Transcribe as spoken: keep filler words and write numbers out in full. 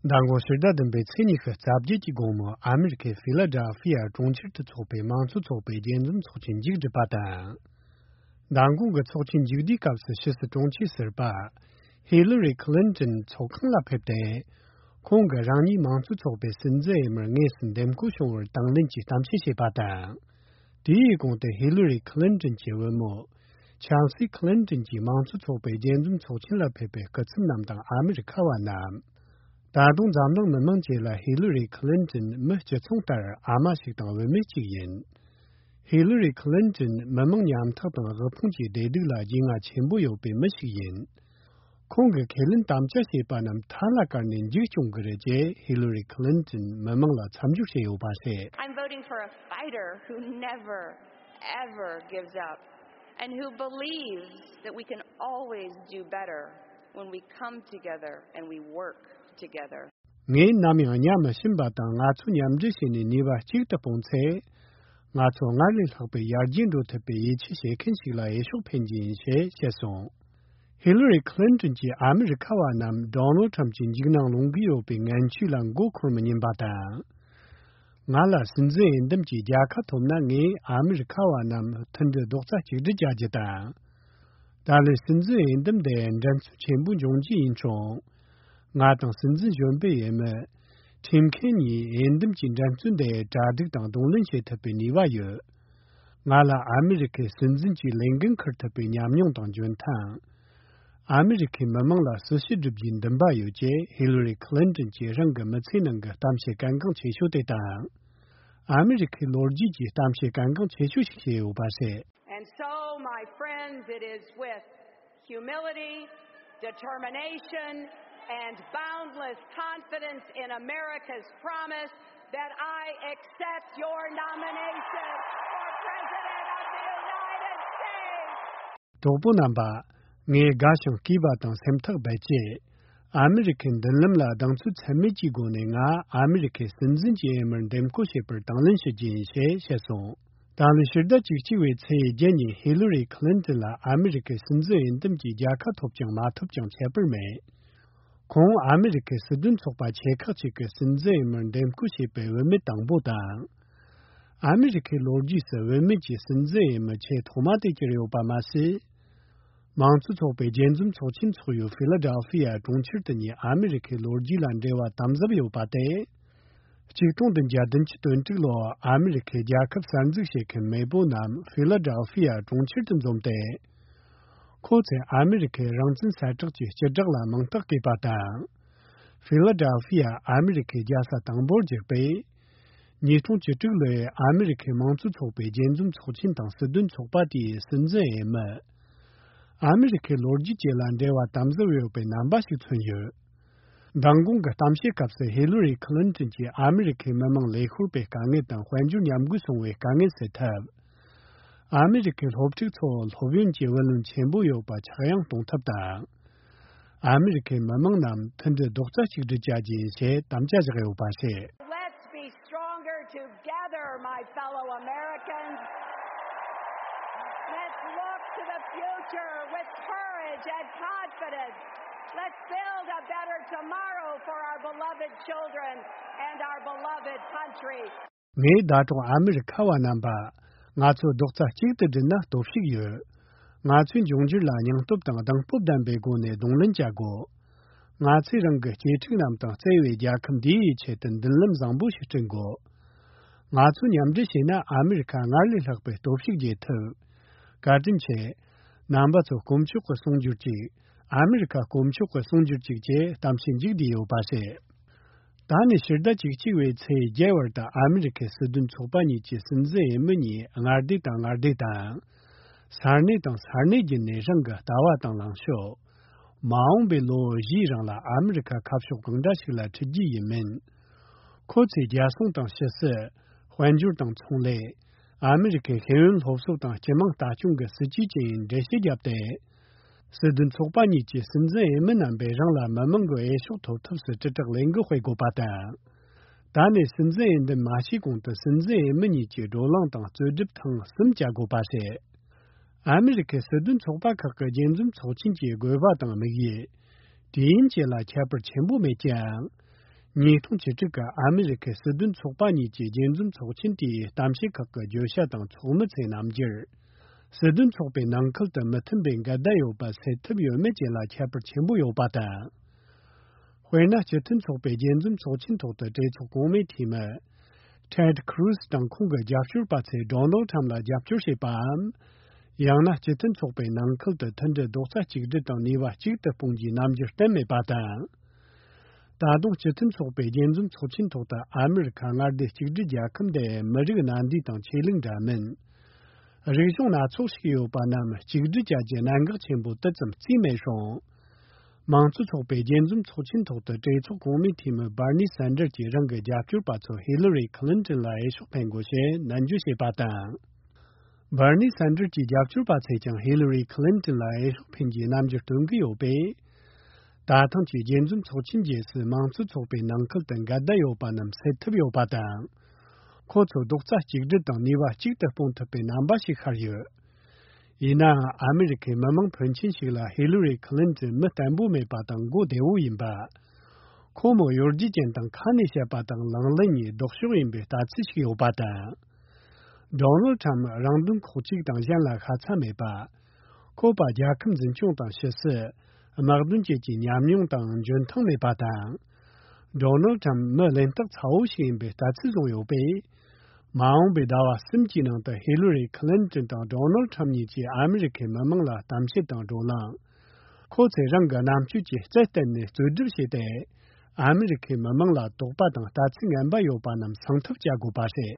མདང་དགོང་ཕྱི་ཟླ་བདུན་པའི་ཚེས་ཉི་ཤུ་རྩ་བརྒྱད་ཀྱི་དགོང་མོ་ཨ་མི་རི་ཀའི་ཕི་ལ་ཌེལ་ཕི་ཡ་གྲོང་ཁྱེར་དུ་འཚོགས་པའི་མང་གཙོ་ཚོགས་པའི་རྒྱས་འཛོམས་ཚོགས་ཆེན་མཇུག་བསྒྲིལ་པ་དང་། མདང་དགོང་གི་ཚོགས་ཆེན་མཇུག་བསྡུའི་སྐབས་སུ་ཕྱི་སྲིད་དྲུང་ཆེ་ཟུར་པ་ཧི་ལི་རི་ཁི་ལིན་ཏོན་ཚོགས་ཁང་ལ་ཕེབས་ཏེ། ཁོང་གིས་རང་ཉིད་མང་གཙོ་ཚོགས་པའི་སྲིད་འཛིན་འོས་མིར་དངོས་སུ་འདེམས་བསྐོ་བྱུང་བར་དང་ལེན་གྱི་གཏམ་བཤད་བྱས་པ་དང་། དེའི་གོང་དུ་ཧི་ལི་རི་ཁི་ལིན་ཏོན་གྱི་བུ་མོ་ཆལ་སི་ཁི་ལིན་ཏོན་གྱིས་མང་གཙོ་ཚོགས་པའི་རྒྱས་འཛོམས་ཚོགས་ཆེན་ལ་ཕེབས་པའི་སྐུ་ཚབ་རྣམས་དང་ཨ་མི་རི་ཁ་བ་རྣམས། ད་དུང་འཛམ་གླིང་མི་མང་བཅས་ལ་ཧི་ལི་རི་ཁི་ལིན་ཏོན་མི་སྤྱི་མཚུངས་ལྟར་ཨ་མ་ཞིག་དང་བུད་མེད་ཅིག་ཡིན། ཧི་ལི་རི་ཁི་ལིན་ཏོན་མི་མང་ཉམ་ཐག་དང་དབུལ་ཕོངས་ཀྱི་བདེ་སྡུག་ལ་རྒྱུས་མངའ་ཆེན་པོ་ཡོད་པའི་མི་ཞིག་ཡིན། ཁོང་གིས་ཁས་ལེན་དམ་བཅའ་བྱས་པ་རྣམས་མཐའ་ལ་བཀར་ནས་མཇུག་སྐྱོང་གི་རེད་ཅེས་ཧི་ལི་རི་ཁི་ལིན་ཏོན་མི་མང་ལ་མཚམས་སྦྱོར་བྱས་ཡོད་པ་རེད། I'm voting for a fighter who never, ever gives up and who believes that we can always do better when we come together and we work together. ངས་ནམ་ཡང་གཉའ་མི་ཞུམ་པ་དང་ང་ཚོ་མཉམ་འབྲེལ་བྱས་ནས་ནུས་པ་གཅིག་ཏུ་སྤུངས་ཚེ། ང་ཚོ་སྔར་ལས་ལྷག་པའི་ཡར་རྒྱས་འགྲོ་ཐུབ་པའི་ཡིད་ཆེས་བྱེད་མཁན་ཞིག་ལ་འོས་ཤོག་འཕེན་རྒྱུ་ཡིན་ཞེས་བཤད་སོང་། ཧི་ལི་རི་ཁི་ལིན་ཏོན་གྱིས་ཨ་མི་རི་ཁ་བ་རྣམས་ཌོ་ནལ་ཁྲམ་གྱི་འཇིགས་སྣང་སློང་གི་ཡོད་པའི་ངན་བྱུས་ལ་མགོ་འཁོར་མི་ཉན་པ་དང་། ང་ལ་སྲིད་འཛིན་འོས་འདེམས་ཀྱི་རྒྱལ་ཁ་ཐོབ་ན་ངས་ཨ་མི་རི་ཁ་བ་རྣམས་མཐུན་སྒྲིལ་རྡོག་རྩ་གཅིག་སྒྲིལ་བྱ་རྒྱུ་དང་། ད་ལོའི་སྲིད་འཛིན་འོས་འདེམས་དེ་འགྲན་རྩོད་ཆེན་པོ་འབྱུང་རྒྱུ་ཡིན་ཀྱང་། ང་དང་སྲིད་འཛིན་གཞོན་པའི་འོས་མི། ཁྲིམ་མཁན་གཉིས་འོས་འདེམས་ཀྱི་འགྲན་རྩོད་འདི་གྲ་སྒྲིག་དང་གདོང་ལེན་བྱེད་ཐུབ་པའི་ནུས་པ་ཡོད། ང་ལ་ཨ་མི་རི་ཁའི་སྲིད་འཛིན་གྱི་ལས་འགན་འཁུར་ཐུབ་པའི་ཉམས་མྱོང་དང་འཇོན་ཐང་། ཨ་མི་རི་ཁའི་མི་མང་ལ་སྲི་ཞུ་སྒྲུབ་རྒྱུའི་འདུན་པ་ཡོད་ཅེས་ཧི་ལི་རི་ཁི་ལིན་ཏོན་གྱིས་རང་གི་མི་ཚེའི་ནང་གི་གཏམ་བཤད་གལ་འགངས་ཆེ་ཤོས་དེ་དང་། ཨ་མི་རི་ཁའི་ལོ་རྒྱུས་ཀྱི་གཏམ་བཤད་གལ་འགངས་ཆེ་ཤོས་ཤིག་བྱས་ཡོད་པ་རེད། And so, my friends, it is with humility, determination, and boundless confidence in America's promise that I accept your nomination for President of the United States. གྲོགས་པོ་རྣམ་པ། ངས་དགའ་ཞིང་སྐྱིད་པ་དང་སེམས་ཐག་རྦད་བཅད། ཨ་མི་རི་ཁའི་མདུན་ལམ་ལ་གདེང་ཚོད་ཚད་མེད་ཀྱི་སྒོ་ནས་ང་ཨ་མི་རི་ཁའི་སྲིད་འཛིན་གྱི་འོས་མིར་འདེམས་བསྐོ་བྱས་པར་དང་ལེན་ཞུ་རྒྱུ་ཡིན་ཞེས་བཤད་སོང་། ད་ལོའི་ཕྱི་ཟླ་བཅུ་གཅིག་པའི་ཚེས་བརྒྱད་ཉིན་ཧི་ལི་རི་ཁི་ལིན་ཏོན་ལ་ཨ་མི་རི་ཁའི་སྲིད་འཛིན་འོས་འདེམས་ཀྱི་རྒྱལ་ཁ་ཐོབ་ཀྱང་མ་ཐོབ་ཀྱང་ཁྱད་པར་མེད། ཁོང་ཨ་མི་རི་ཁའི་སྲིད་དོན་ཚོགས་པ་ཆེ་ཁག་ཅིག་གི་སྲིད་འཛིན་འོས་མིར་འདེམས་བསྐོ་བྱས་པའི་བུད་མེད་དང་པོ་དང་། ཨ་མི་རི་ཁའི་ལོ་རྒྱུས་སུ་བུད་མེད་ཀྱི་སྲིད་འཛིན་འོས་མི་ཆེས་ཐོག་མ་དེ་གྱུར་ཡོད་པ་མ་ཟད། མང་གཙོ་ཚོགས་པའི་རྒྱས་འཛོམས་ཚོགས་ཆེན་འཚོགས་ཡུལ་ཧྥི་ལ་ཌེལ་ཧྥི་ཡ་གྲོང་ཁྱེར་དུ་ཉིད་ཨ་མི་རི་ཁའི་ལོ་རྒྱུས་ལ་འབྲེལ་བ་དམ་ཟབ་ཡོད་པ་སྟེ། ཆིག་སྟོང་བདུན་བརྒྱ་བདུན་ཅུ་དོན་དྲུག་ལོར་ཨ་མི་རི་ཁའི་རྒྱལ་ཁབ་གསར་འཛུགས་བྱེད་མཁན་མེས་པོ་རྣམས་ཧྥི་ལ་ཌེལ་ཧྥི་ཡ་གྲོང་ཁྱེར་དུ་འཛོམས་ཏེ། ཁོ་ཚོས་ཨ་མི་རི་ཁའི་རང་བཙན་གསལ་བསྒྲགས་ཀྱི་སྤྱི་བསྒྲགས་ལ་མིང་རྟགས་བཀོད་པ་དང་། ཧྥི་ལ་ཌེལ་ཧྥི་ཡ་ཨ་མི་རི་ཁའི་རྒྱལ་ས་དང་པོར་བསྒྱུར་པས། ཉིས་སྟོང་བཅུ་དྲུག་ལོའི་ཨ་མི་རི་ཁའི་མང་གཙོ་ཚོགས་པའི་རྒྱས་འཛོམས་ཚོགས་ཆེན་དང་སྲིད་དོན་ཚོགས་པ་དེའི་སྲིད་འཛིན་འོས་མི། ཨ་མི་རི་ཁའི་ལོ་རྒྱུས་བཅས་ལ་འབྲེལ་བ་དམ་ཟབ་ཡོད་པའི་རྣམ་པ་ཞིག་མཚོན་ཡོད། མདང་དགོང་གི་གཏམ་བཤད་སྐབས་སུ་ཧི་ལི་རི་ཁི་ལིན་ཏོན་གྱིས་ཨ་མི་རི་ཁའི་མི་མང་ལས་ཤོར་པའི་དཀའ་ངལ་དང་དཔལ་འབྱོར་ཉམས་རྒུད་སོང་བའི་དཀའ་ངལ་སེལ་ཐབས། ཨ་མི་རི་ཁའི་སློབ་ཕྲུག་ཚོར་སློབ་ཡོན་གྱི་བུ་ལོན་ཆེན་པོ་ཡོད་པ་ཆག་ཡང་གཏོང་ཐབས་དང་། ཨ་མི་རི་ཁའི་མི་མང་རྣམས་མཐུན་སྒྲིལ་རྡོག་རྩ་གཅིག་སྒྲིལ་བྱ་རྒྱུ་ཡིན་ཞེས་དམ་བཅའ་བཞག་ཡོད་པ་རེད། Let's be stronger together, my fellow Americans. Let's look to the future with courage and confidence. Let's build a better tomorrow for our beloved children and our beloved country. ངས་ཟླ་གྲོགས་ཨ་མི་རི་ཁ་བ་རྣམ་པ། ང་ཚོ་རྡོག་རྩ་གཅིག་ཏུ་སྒྲིལ་ན་སྟོབས་ཤུགས་ཡོད། ང་ཚོས་འབྱུང་འགྱུར་ལ་སྙིང་སྟོབས་དང་གདེང་སྤོབས་ལྡན་པའི་སྒོ་ནས་གདོང་ལེན་བྱ་དགོས། ང་ཚོས་རང་གི་གཅེས་ཕྲུག་རྣམས་དང་བརྩེ་བའི་རྒྱལ་ཁབ་འདིའི་ཆེད་དུ་མདུན་ལམ་བཟང་པོ་ཞིག་བསྐྲུན་དགོས། ང་ཚོ་མཉམ་འབྲེལ་བྱས་ན་ཨ་མི་རི་ཁ་སྔར་ལས་ལྷག་པའི་སྟོབས་ཤུགས་རྒྱས་ཐུབ། བཀའ་དྲིན་ཆེ། རྣམ་པ་ཚོ་དཀོན་མཆོག་གིས་གསུང་གྱུར་ཅིག་ཨ་མི་རི་ཁ་དཀོན་མཆོག་གིས་གསུང་གྱུར་ཅིག་ཅེས་གཏམ་བཤད་མཇུག་བསྡུས་ཡོད་པ་རེད། ད་ནས་ཕྱི་ཟླ་བཅུ་གཅིག་པའི་ཚེས་བརྒྱད་བར་དུ་ཨ་མི་རི་ཁའི་སྲིད་དོན་ཚོགས་པ་གཉིས་ཀྱི་སྲིད་འཛིན་འོས་མི་གཉིས་མངའ་སྡེ་དང་མངའ་སྡེ་དང་། ས་གནས་དང་ས་གནས་བརྒྱུད་ནས་རང་གི་ལྟ་བ་དང་ལངས་ཕྱོགས། མ་འོངས་པའི་ལོ་བཞིའི་རིང་ལ་ཨ་མི་རི་ཁ་ཁ་ཕྱོགས་གང་འདྲ་ཞིག་ལ་འཁྲིད་རྒྱུ་ཡིན་མིན། ཁོ་ཚོས་རྒྱལ་སྲུང་དང་ཕྱི་སྲིད། དཔལ་འབྱོར་དང་ཚོང་ལས། ཨ་མི་རི་ཁའི་ཤེས་ཡོན་སློབ་གསོ་དང་སྤྱི་དམངས་ལྟ་སྐྱོང་གི་སྲིད་ཇུས་བཅས་འགྲེལ་བཤད་བརྒྱབ་སྟེ། སྲིད་དོན་ཚོགས་པ་གཉིས་ཀྱི་སྲིད་འཛིན་འོས་མི་རྣམ་པས་རང་ལ་མི་མང་གི་འོས་ཤོག་ཐོབ་ཐབས་སུ་དྲིལ་བསྒྲགས་ལས་འགུལ་སྤེལ་དགོས་པ་དང་། ད་ནས་སྲིད་འཛིན་འོས་འདེམས་མ་བྱས་གོང་དུ་སྲིད་འཛིན་འོས་མི་གཉིས་ཀྱི་བགྲོ་གླེང་དང་རྩོད་སྒྲུབ་ཐེངས་གསུམ་བྱ་དགོས་པ་རེད། ཨ་མི་རི་ཁའི་སྲིད་དོན་ཚོགས་པ་ཁག་གི་རྒྱས་འཛོམས་ཚོགས་ཆེན་གྱི་དགོས་པ་དང་དམིགས་ཡུལ། དུས་ཡུན་བཅས་ལ་ཁྱད་པར་ཆེན་པོ་མེད་ཀྱང་། ཉིས་སྟོང་བཅུ་དྲུག་གི་ཨ་མི་རི་ཁའི་སྲིད་དོན་ཚོགས་པ་གཉིས་ཀྱི་རྒྱས་འཛོམས་ཚོགས་ཆེན་དེའི་གཏམ་བཤད་ཁག་གི་བརྗོད་བྱ་དང་ཚོགས་མི་ཚོའི་རྣམ་འགྱུར། སྲིད་དོན་ཚོགས་པའི་ནང་ཁུལ་དུ་མི་མཐུན་པའི་འགལ་ཟླ་ཡོད་པ་སེལ་ཐུབ་ཡོད་མེད་བཅས་ལ་ཁྱད་པར་ཆེན་པོ་ཡོད་པ་དང་། དཔེར་ན། སྤྱི་མཐུན་ཚོགས་པའི་རྒྱས་འཛོམས་ཚོགས་ཆེན་ཐོག་ཏུ་གྲོས་ཚོགས་གོང་མའི་འཐུས་མི་Ted Cruz དང་ཁོང་གི་རྒྱབ་སྐྱོར་པ་ཚོས་Donald Trump ལ་རྒྱབ་སྐྱོར་བྱས་པའམ། ཡང་ན་སྤྱི་མཐུན་ཚོགས་པའི་ནང་ཁུལ་དུ་མཐུན་སྒྲིལ་རྡོག་རྩ་གཅིག་སྒྲིལ་དང་ནུས་པ་གཅིག་ཏུ་སྤུངས་རྒྱུའི་རྣམ་འགྱུར་བསྟན་མེད་པ་དང་། ད་དུང་སྤྱི་མཐུན་ཚོགས་པའི་རྒྱས་འཛོམས་ཚོགས་ཆེན་ཐོག་ཏུ་ཨ་མི་རི་ཁ་མངའ་སྡེ་གཅིག་སྒྲིལ་རྒྱལ་ཁབ་འདི་མི་རིགས་སྣ་འདུས་དང་ཆོས་ལུགས་འདྲ་མིན། རིག་གཞུང་སྣ་ཚོགས་ཤིག་ཡོད་པ་རྣམས་གཅིག་སྒྲིལ་བྱ་རྒྱུ་གནད་འགག་ཆེན་པོ་དེ་ཙམ་བརྩིས་མེད་རུང་། མང་གཙོ་ཚོགས་པའི་རྒྱས་འཛོམས་ཚོགས་ཆེན་ཐོག་ཏུ་གྲོས་ཚོགས་གོང་མའི་འཐུས་མི་Bernie Sanders གྱིས་རང་གི་རྒྱབ་སྐྱོར་པ་ཚོ་Hillary Clinton ལ་འོས་ཤོག་འཕེན་དགོས་ཞེས་ནན་བརྗོད་བྱས་པ་དང་། Bernie Sanders གྱི་རྒྱབ་སྐྱོར་པ་ཚོས་ཀྱང་Hillary Clinton ལ་འོས་ཤོག་འཕེན་རྒྱུའི་རྣམ་འགྱུར་སྟོན་གྱི་ཡོད་པས། ད་ཐེངས་ཀྱི་རྒྱས་འཛོམས་ཚོགས་ཆེན་རྗེས་སུ་མང་གཙོ་ཚོགས་པའི་ནང་ཁུལ་དུ་འགལ་ཟླ་ཡོད་པ་རྣམས་སེལ་ཐུབ་ཡོད་པ་དང་། ཁོ་ཚོ་རྡོག་རྩ་གཅིག་སྒྲིལ་དང་ནུས་པ་གཅིག་ཏུ་སྤུངས་ཐུབ་པའི་རྣམ་པ་ཞིག་ཤར་ཡོད། ཡིན་ནའང་ཨ་མི་རི་ཁའི་མི་མང་ཕོན་ཆེན་ཞིག་ལ་Hillary Clinton མི་བརྟན་པོ་མེད་པ་དང་མགོ་བདེ་བོ་ཡིན་པ། ཁོ་མོ་གཡོ་སྒྱུ་ཅན་དང་ཁ་ནས་བཤད་པ་དང་ལག་ལེན་གཉིས་ལྡོག་ཕྱོགས་ཡིན་པའི་ལྟ་ཚུལ་ཞིག་ཡོད་པ་དང་། Donald Trump རང་དོན་ཁོག་གཅིག་དང་གཞན་ལ་ཤ་ཚ་མེད་པ། ཁོ་པ་རྒྱལ་ཁབ་འཛིན་སྐྱོང་དང་ཕྱི་སྲིད། དམག་དོན་བཅས་ཀྱི་ཉམས་མྱོང་དང་འཇོན་ཐང་མེད་པ་དང་། Donald Trump མི་གླེན་རྟགས་ཚ་བོ་ཞིག་ཡིན་པའི་ལྟ་ཚུལ་བཟུང་ཡོད་པས། མ་འོངས་པའི་ཟླ་བ་གསུམ་གྱི་ནང་དུ་Hillary Clinton དང་Donald Trump གཉིས་ཀྱིས་ཨ་མི་རི་ཁའི་མི་མང་ལ་གཏམ་བཤད་དང་བགྲོ་གླེང་། ཁོ་ཚོས་རང་གི་རྣམ་དཔྱོད་ཀྱི་རྩལ་བཏོན་ནས་རྩོད་སྒྲུབ་བྱས་ཏེ། ཨ་མི་རི་ཁའི་མི་མང་ལ་དོགས་པ་དང་ལྟ་ཚུལ་ངན་པ་ཡོད་པ་རྣམས་སངས་ཐབས་བྱ་དགོས་པ་རེད།